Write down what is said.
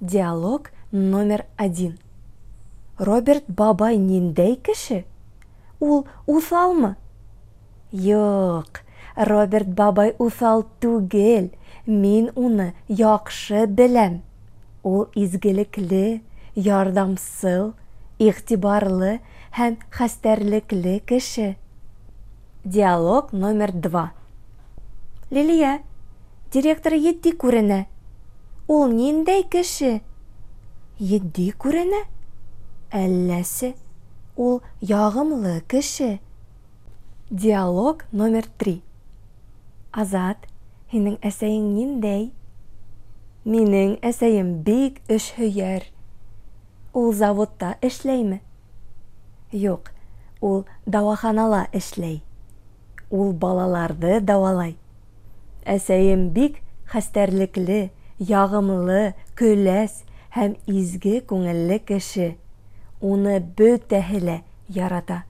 Диалог номер один. Роберт бабай ниндәй кеше? Ул усалмы? Юк, Роберт бабай усал түгел. Мин уны яхшы беләм. Ул изгелекле, ярдәмсыл, игътибарлы һәм хәстәрлекле кеше. Диалог номер два. Лилия, директор етди күренә. Ул ниндәй кеше? Етди күренә? Әлләсе, ул ягымлы кеше. Диалог номер три. Азат, һинең әсәең ниндәй? Минең әсәем бик эшһөяр. Ул заводта эшләйме? Юк, ул дәваханала эшләй. Ул балаларды дәвалай. Әсәем бик хәстәрлекле, ягымлы, көләс һәм изге күңелле кеше. Уны бөтәһе лә ярата.